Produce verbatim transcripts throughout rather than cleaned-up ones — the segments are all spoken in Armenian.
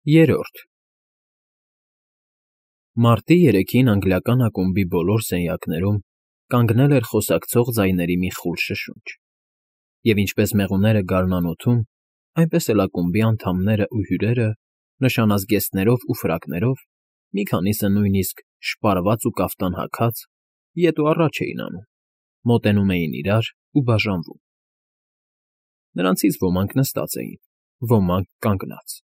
Երրորդ Մարտի երեքին անգլիական ակումբի բոլոր սենյակներում կանգնել էր խոսակցող ձայների մի խուլ շշունջ, և ինչպես մեղուները գարնանոթում, այնպես էլ ակումբի անդամներն ու հյուրերը, նշանազգեստներով ու ֆրակներով, մի քանիսը նույնիսկ շպարված ու կաֆտան հագած, ետ ու առաջ էին անում, մոտենում էին իրար ու բաժանվում. նրանցից ոմանք նստած էին, ոմանք՝ կանգնած.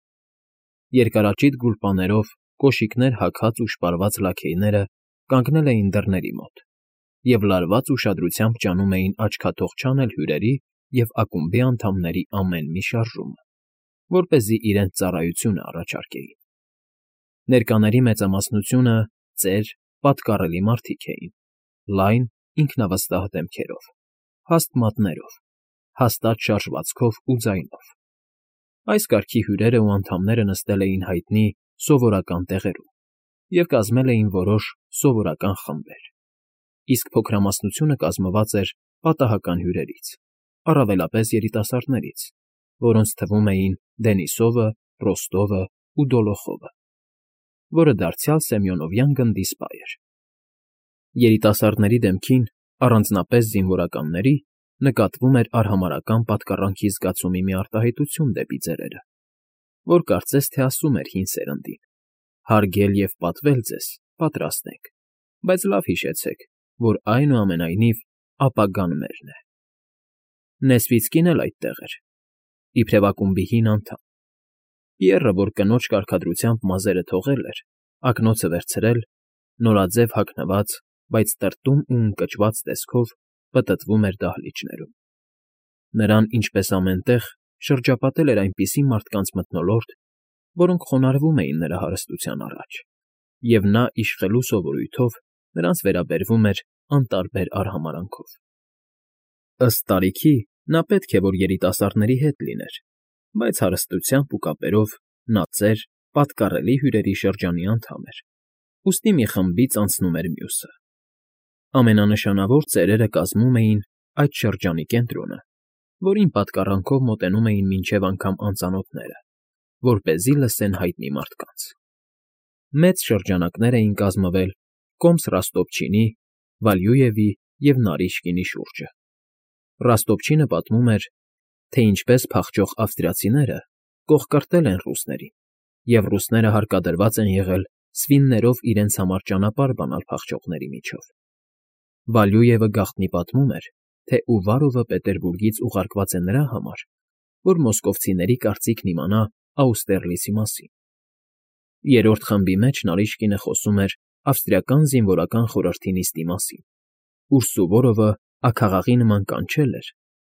երկարաճիտ գուլպաներով կոշիկներ հագած ու շպարված լաքեյները կանգնել էին դռների մոտ և լարված ուշադրությամբ ջանում էին աչքաթող չանել հյուրերի և ակումբի անդամների ամեն մի շարժումը, որպեսզի իրենց ծառայությունը առաջարկեին. ներկաների մեծամասնությունը ծեր, պատկառելի մարդիկ էին, լայն, ինքնավստահ դեմքերով, հաստ մատներով, հաստատ շարժվածքով ու ձայնով. այս կարգի հյուրերն ու անդամները նստել էին հայտնի սովորական տեղերում և կազմել էին որոշ սովորական խմբեր, իսկ փոքրամասնությունը կազմված էր պատահական հյուրերից, առավելապես երիտասարդներից, որոնց թվում էին Դենիսովը, Ռոստովը ու Դոլոխովը, որը դարձյալ Սեմյոնովյան գնդի սպա էր. երիտասարդների դեմքին, առանձնապես զինվորականների, նկատվում էր արհամարհական պատկառանքի զգացումի մի արտահայտություն դեպի ծերերը, որ կարծես թե ասում էր հին սերնդին. հարգել և պատվել ձեզ պատրաստ ենք, բայց լավ հիշեցեք, որ այնուամենայնիվ ապագան մերն է։ Նեսվիցկին էլ այդտեղ էր, իբրև ակումբի հին անդամ. Պիեռը, որ կնոջ կարգադրությամբ մազերը թողել էր, ակնոցը վերցրել, նորաձև հագնված, բայց տրտում ու ընկճված տեսքով պտտվում էր դահլիճներում. նրան, ինչպես ամեն տեղ, շրջապատել էր այնպիսի մարդկանց մթնոլորտ, որոնք խոնարհվում էին նրա հարստության առաջ, և նա իշխելու սովորույթով նրանց վերաբերվում էր անտարբեր արհամարհանքով. ըստ տարիքի նա պետք է որ երիտասարդների հետ լիներ, բայց հարստությամբ ու կապերով նա ծեր, պատկառելի հյուրերի շրջանի անդամ էր, ուստի մի խմբից անցնում էր մյուսը. ամենանշանավոր ծերերը կազմում էին այդ շրջանի կենտրոնը, որին պատկառանքով մոտենում էին մինչև անգամ անծանոթները, որպեսզի լսեն հայտնի մարդկանց. մեծ շրջանակներ էին կազմվել կոմս Ռոստովչինի, Վալյուևի և Նարիշկինի շուրջը. Ռոստովչինը պատմում էր, թե ինչպես փախչող ավստրիացիները կողկրտել են ռուսներին, և ռուսները հարկադրված են եղել սվիններով իրենց համար ճանապարհ բանալ փախչողների միջով. Վալյուևը գաղտնի պատմում էր, թե Ուվարովը Պետերբուրգից ուղարկված է նրա համար, որ մոսկովցիների կարծիքն իմանա Աուստերլիցի մասին. երրորդ խմբի մեջ Նարիշկինը խոսում էր ավստրիական զինվորական խորհրդի նիստի մասին, ուր Սուվորովը աքաղաղի նման կանչել էր,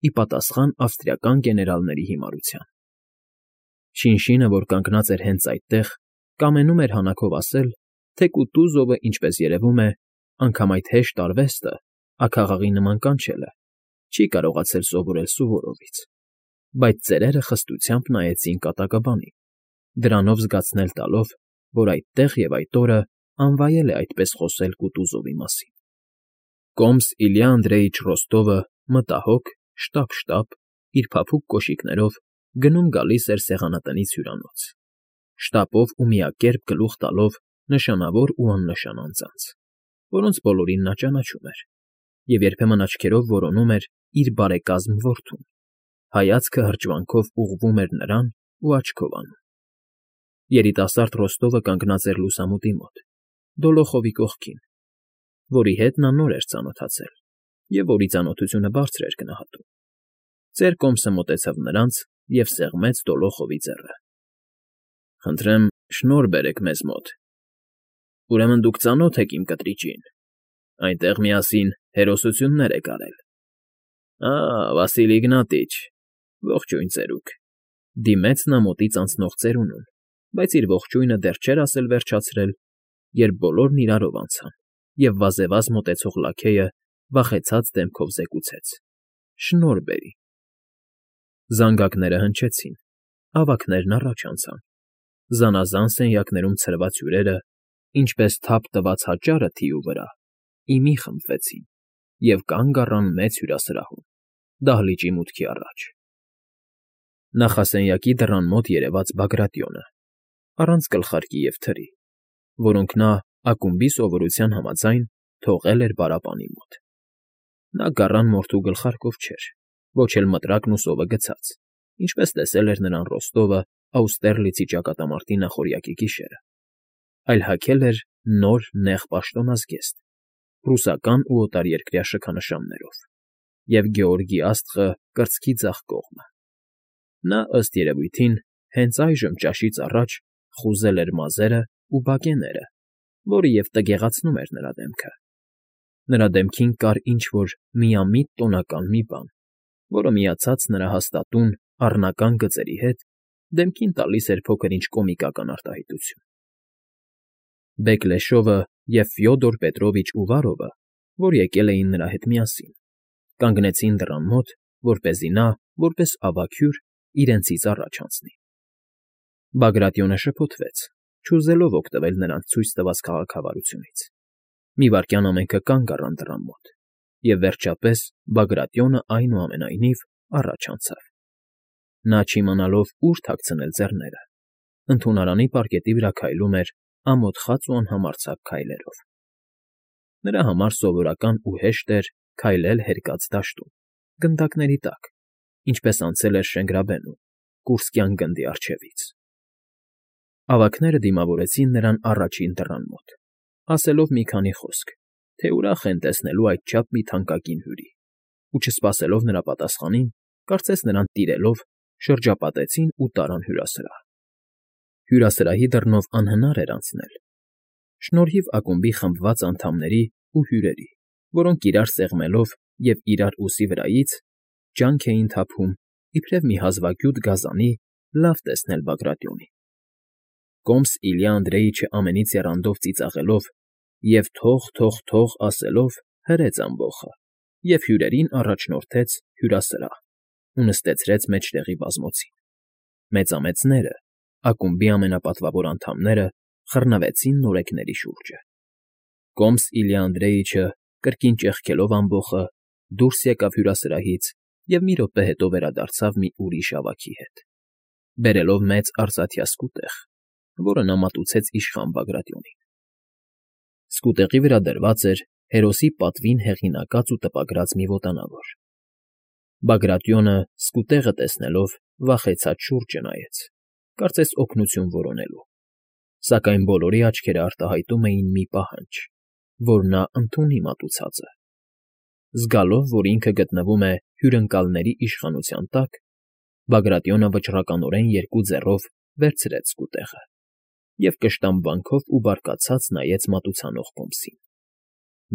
ի պատասխան ավստրիական գեներալների հիմարության. Շինշինը, որ կանգնած էր հենց այդտեղ, կամենում էր հանակով ասել, թե Կուտուզովը, ինչպես երևում է, անգամ այդ հեշտ արվեստը, աքաղաղի նման կանչելը, չի կարողացել սովորել Սուվորովից, բայց ծերերը խստությամբ նայեցին կատակաբանին, դրանով զգացնել տալով, որ այդտեղ և այդ օրը անվայել է այդպես խոսել Կուտուզովի մասին. Կոմս Իլյա Անդրեյիչ Ռոստովը մտահոգ, շտապ֊շտապ, իր փափուկ կոշիկներով գնում֊գալիս էր սեղանատնից հյուրանոց, շտապով ու միակերպ գլուխ տալով նշանավոր ու աննշան անձանց, որոնց բոլորին նա ճանաչում էր, և երբեմն աչքերով որոնում էր իր բարեկազմ որդուն, հայացքը հրճվանքով ուղղվում էր նրան ու աչքով անում. Երիտասարդ Ռոստովը կանգնած էր լուսամուտի մոտ, Դոլոխովի կողքին, որի հետ նա նոր էր ծանոթացել և որի ծանոթությունը բարձր էր գնահատում. ծեր Կոմսը մոտեցավ նրանց և սեղմեց Դոլոխովի ձեռը. Խնդրեմ, շնորհ բերեք մեզ մոտ. ուրեմն դուք ծանոթ եք իմ կտրիճին, այնտեղ միասին հերոսություններ եք արել։ Ա՜, Վասիլի Իգնատիչ, ողջույն ծերուկ, դիմեց նա մոտից անցնող ծերունուն, բայց իր ողջույնը դեռ չէր ասել վերջացրել, երբ բոլորն իրարով անցան, և վազեվազ մոտեցող լաքեյը վախեցած դեմքով զեկուցեց. շնորհ բերի։ Զանգակները հնչեցին, ավագներն առաջ անցան, զանազան սենյակներում ցրված հյուրերը, ինչպես թափ տված հանճարը թիու վրա, ի մի խմբվեցին և կանգ առան մեծ հյուրասրահում, դահլիճի մուտքի առաջ. Նախասենյակի դռան մոտ երևաց Բագրատիոնը, առանց գլխարկի և թրի, որոնք նա ակումբի սովորության համաձայն թողել էր պարապանի մոտ. նա գառան մորթու գլխարկով չէր, ոչ էլ մտրակն ու սովը գցած, ինչպես տեսել էր նրան Ռոստովը Աուստերլիցի ճակատամարտի նախօրյակի գիշերը, այլ հագել էր նոր նեղ պաշտոնազգեստ, պրուսական ու օտարերկրյա շքանշաններով և Գեորգի աստղը կրծքի ձախ կողմը. նա, ըստ երևույթին, հենց այժմ ճաշից առաջ խուզել էր մազերն ու բակեները, որը և տգեղացնում էր նրա դեմքը. նրա դեմքին կար ինչ֊որ միամիտ տոնական մի բան, որը միացած նրա հաստատուն, առնական գծերի հետ, դեմքին տալիս էր փոքր֊ինչ կոմիկական արտահայտություն։ Բեկլեշովը և Ֆյոդոր Պետրովիչ Ուվարովը, որ եկել էին նրա հետ միասին, կանգնեցին դռան մոտ, որպեսզի նա, որպես ավագ հյուր, իրենցից առաջ անցնի։ Բագրատիոնը շփոթվեց, չուզելով օգտվել նրանց ցույց տված քաղաքավարությունից. մի վայրկյան ամենքը կանգ առան դռան մոտ, և, վերջապես, Բագրատիոնը, այնուամենայնիվ, առաջ անցավ, նա չիմանալով ուր թաքցնել ձեռները, ընդունարանի պարկետի վրա քայլում էր ամոթխած ու անհամարձակ քայլերով. նրա համար սովորական ու հեշտ էր քայլել հերկած դաշտում, գնդակների տակ, ինչպես անցել էր Շենգրաբենում, Կուրսկյան գնդի առջևից։ Ավագները դիմավորեցին նրան առաջին դռան մոտ, ասելով մի քանի խոսք, թե ուրախ են տեսնելու այդչափ մի թանկագին հյուրի, ու չսպասելով նրա պատասխանին, կարծես նրան տիրելով, շրջապատեցին ու տարան հյուրասրահ։ Հյուրասրահի դռնով անհնար էր անցնել, շնորհիվ ակումբի խմբված անդամների ու հյուրերի, որոնք իրար սեղմելով և իրար ուսի վրայից, ջանք էին թափում, իբրև մի հազվագյուտ գազանի, լավ տեսնել Բագրատիոնին։ Կոմս Իլյա Անդրեիչը ամենից եռանդով ծիծաղելով և «թող, թող, թող» ասելով հրեց ամբոխը և հյուրերին առաջնորդեց հյուրասրահ ու նստեցրեց մեջտեղի բազմոցին։ Մեծամեծները, ակումբի ամենապատվավոր անդամները խռնվեցին նորեկների շուրջը։ Կոմս Իլյա Անդրեիչը, կրկին ճեղքելով ամբոխը, դուրս եկավ հյուրասրահից և մի րոպե հետո վերադարձավ մի ուրիշ ավագի հետ, բերելով մեծ արծաթյա սկուտեղ, որը նա մատուցեց իշխան Բագրատիոնին։ Սկուտեղի վրա դրված էր հերոսի պատվին հեղինակած ու տպագրած մի ոտանավոր։ Բագրատիոնը, սկուտեղը տեսնելով, վախեցած շուրջը նայեց, կարծես օգնություն որոնելու, սակայն բոլորի աչքերը արտահայտում էին մի պահանջ, որ նա ընդունի մատուցածը։ Զգալով, որ ինքը գտնվում է հյուրընկալների իշխանության տակ, Բագրատիոնը վճռականորեն երկու ձեռով վերցրեց սկուտեղը և կշտամբանքով ու բարկացած նայեց մատուցանող կոմսին։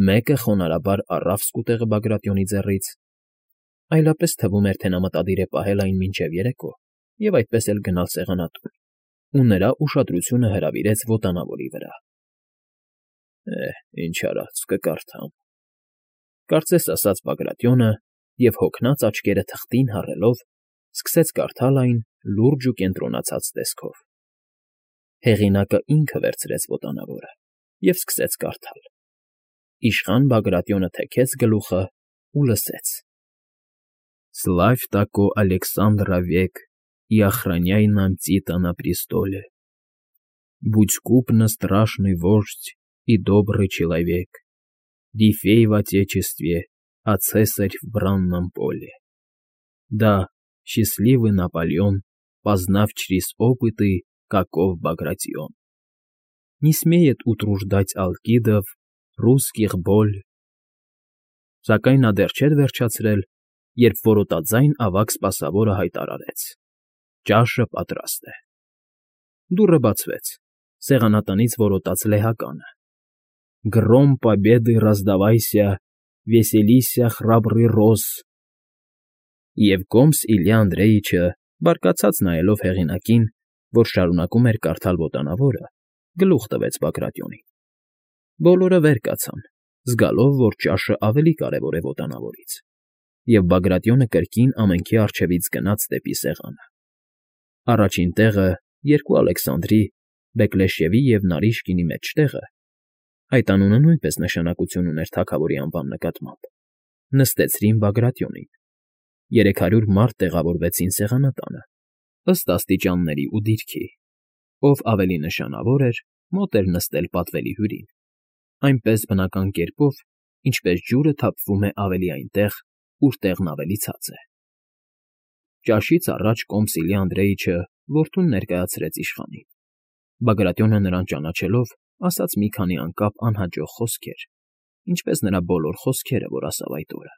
Մեկը խոնարհաբար առավ սկուտեղը Բագրատիոնի ձեռից, այլապես թվում էր, թե նա մտադիր է պահել այն մինչև երեկո և այդպես էլ գնալ սեղանատուն, ու նրա ուշադրությունը հրավիրեց ոտանավորի վրա։ «Է, ինչ արած, կկարդամ,֊ կարծես ասաց Բագրատիոնը և, հոգնած աչքերը թղթին հառելով, սկսեց կարդալ այն լուրջ ու կենտրոնացած տեսքով։ Հեղինակը ինքը վերցրեց ոտանավորը և սկսեց կարդալ։ Իշխան Բագրատիոնը թեքեց գլուխը ու լսեց. «Славь тако Александра век и охраняй нам Тита на престоле. Будь купно страшный вождь и добрый человек, Рифей в отечестве, а цесарь в бранном поле. Да, счастливый Наполеон, познав через опыты, каков Багратион. Не смеет утруждать алкидов, русских боль». Սակայն նա դեռ չէր վերջացրել, երբ որոտաձայն ավագ սպասավորը հայտարարեց. «Ճաշը պատրաստ է»։ Դուռը բացվեց, սեղանատնից որոտաց լեհականը. «Гром победы раздавайся, веселися, храбрый роз», և Կոմս Իլյա Անդրեիչը, բարկացած նայելով հեղինակին, որ շարունակում էր կարդալ ոտանավորը, գլուխ տվեց Բագրատիոնին։ Բոլորը վեր կացան, զգալով, որ ճաշը ավելի կարևոր է ոտանավորից, և Բագրատիոնը կրկին ամենքի առջևից գնաց դեպի սեղանը։ Առաջին տեղը, երկու Ալեքսանդրի, Բեկլեշևի և Նարիշկինի մեջտեղը (այդ անունը նույնպես նշանակություն ուներ թագավորի անվան նկատմամբ) նստեցրին Բագրատիոնին, երեք հարյուր մարդ տեղավորվեցին սեղանատանը, ըստ աստիճանների ու դիրքի, Ով ավելի նշանավոր էր, մոտ էր նստել պատվելի հյուրին, այնպես բնական կերպով, ինչպես ջուրը թափվում է ավելի այնտեղ, ուր տեղն ավելի ցած է։ Ճաշից առաջ Կոմսիլի Անդրեիչը որդուն ներկայացրեց իշխանին։ Բագրատյոնը նրան ճանաչելով, ասաց մի քանի անկապ անհաջող խոսքեր, ինչպես նրա բոլոր խոսքերը, որ ասավ այդ օրը։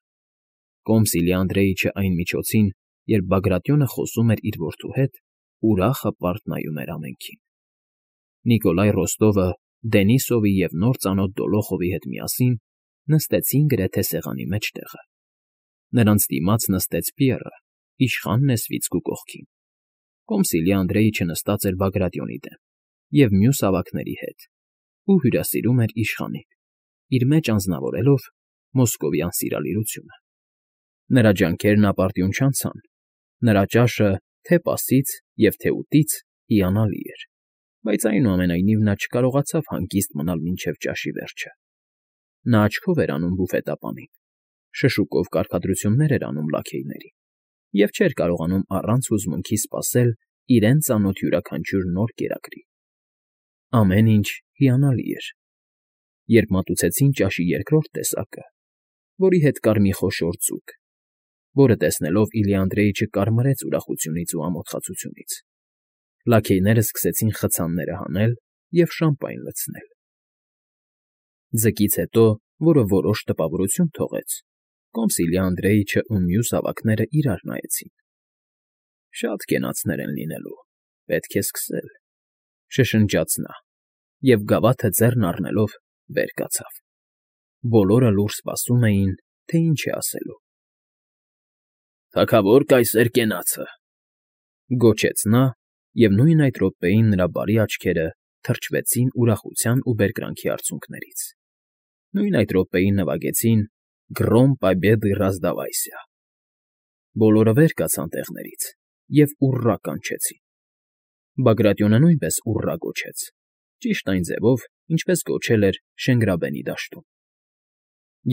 Կոմսիլի Անդրեիչը այն միջոցին, երբ Բագրատյոնը խոսում էր իր որդու հետ, ուրախ հպարտ նայում էր ամենքին։ Նիկոլայ Ռոստովը Դենիսովի և նոր ծանոթ Դոլոխովի հետ միասին նստեցին գրեթե սեղանի մեջտեղը։ Նրանց դիմաց նստեց Պիեռը, իշխան նեսվիցկու կողքին։ Կոմսիլի Անդրեիչը նստած էր Բագրատյոնի դեմ և մյուս ավագների հետ ու հյուրասիրում էր իշխանին, իր մեջ անձնավորելով մոսկովյան սիրալիրությունը։ Նրա ջանքերն ապարդյուն չանցան, նրա ճաշը թե՛ պասից և թե՛ ուտից հիանալի էր, բայց այնուամենայնիվ նա չկարողացավ հանգիստ մնալ մինչև ճաշի վերջը։ Նա աչքով էր անում բուֆետապանին, շշուկով կարգադրություններ էր անում լաքեյներին և չէր կարողանում առանց հուզմունքի սպասել իրեն ծանոթ յուրաքանչյուր նոր կերակրի։ Ամեն ինչ հիանալի էր, երբ մատուցեցին ճաշի երկրորդ տեսակը, որի հետ կար մի խոշոր ձուկ, որը տեսնելով Իլի Անդրեիչը կարմրեց ուրախությունից ու ամոթխացությունից։ Լաքեյները սկսեցին խցանները հանել և շամպայն լցնել։ Ձկից հետո, որը որոշ տպավորություն թողեց, Կոմսիլի Անդրեիչը ու մյուս ավագները իրար նայեցին։ «Շատ կենացներ են լինելու, պետք է սկսել,֊ շշնջաց նա և, գավաթը ձեռն առնելով, վեր կացավ։ Բոլորը լուռ սպասում էին, թե ինչ է ասելու։ «Թագավոր կայսեր կենացը,֊ գոչեց նա, և նույն այդ րոպեին նրա բարի աչքերը թրջվեցին ուրախության ու բերկրանքի արցունքներից։ Նույն այդ րոպեին նվագեցին «Գրոմ պաբեդը ռազդավայսյա»։ Բոլորը վեր կացան տեղներից և «ուռռա» կանչեցին։ Բագրատյոնը նույնպես «ուռռա» գոչեց, ճիշտ այն ձևով, ինչպես գոչել էր Շենգրաբենի դաշտում։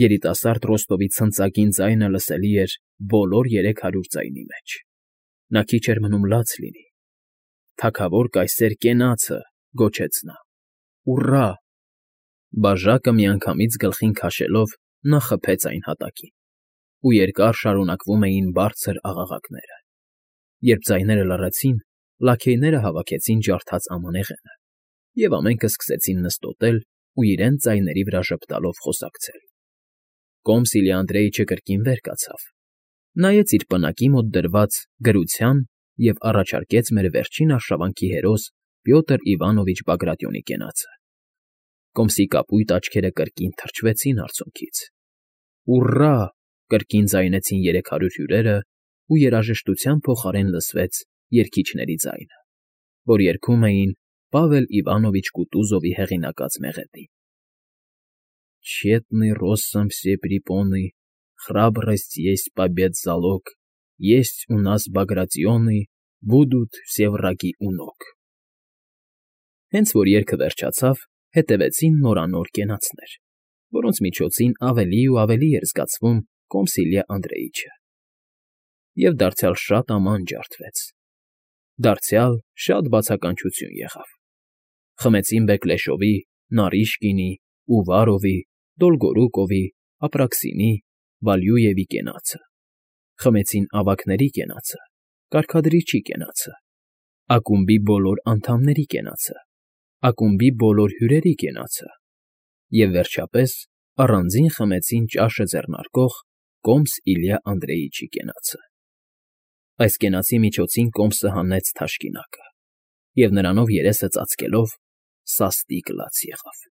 Երիտասարդ Ռոստովի ցնծագին ձայնը լսելի էր բոլոր երեք հարյուր ձայնի մեջ։ Նա քիչ էր մնում լաց լինի։ «Թագավոր կայսեր կենացը,֊ գոչեց նա,֊ ուռռա»։ Բաժակը միանգամից գլխին քաշելով՝ նա խփեց այն հատակին, ու երկար շարունակվում էին բարձր աղաղակները։ Երբ ձայները լռեցին, լաքեյները հավաքեցին ջարդած ամանեղենը, և ամենքը սկսեցին նստոտել ու իրենց ձայների վրա ժպտալով խոսակցել։ Կոմսիլի Անդրեիչը կրկին վեր կացավ, նայեց իր պնակի մոտ դրված գրության և առաջարկեց մեր վերջին արշավանքի հերոս Պյոտր Իվանովիչ Բագրատյոնի կենացը։ Կոմսի կապույտ աչքերը կրկին թրջվեցին արցունքից։ «Ուռռա»֊ կրկին ձայնեցին երեք հարյուր հյուրերը, ու երաժշտության փոխարեն լսվեց երգիչների ձայնը, որ երգում էին Պավել Իվանովիչ Կուտուզովի հեղինակած մեղեդին. «Тщетны россом все препоны, храбрость есть побед залог, есть у нас Багратионы, будут все враги у ног»։ Հենց որ երգը վերջացավ, հետևեցին նորանոր կենացներ, որոնց միջոցին ավելի ու ավելի էր զգացվում Կոմսիլյա Անդրեիչը։ Եվ դարձյալ շատ աման ջարդվեց։ Դարձյալ շատ բացականչություն եղավ։ Խմեցին Բեկլեշովի, Նարիշկինի, Ուվարովի, Դոլգորուկովի, Ապրաքսինի, Վալյուևի կենացը։ Խմեցին ավագների կենացը, կարգադրիչի կենացը, ակումբի բոլոր անդամների կենացը, ակումբի բոլոր հյուրերի կենացը և, վերջապես, առանձին խմեցին ճաշը ձեռնարկող Կոմս Իլյա Անդրեիչի կենացը։ Այս կենացի միջոցին Կոմսը հանեց թաշկինակը և, նրանով երեսը ծածկելով, սաստիկ լաց եղավ։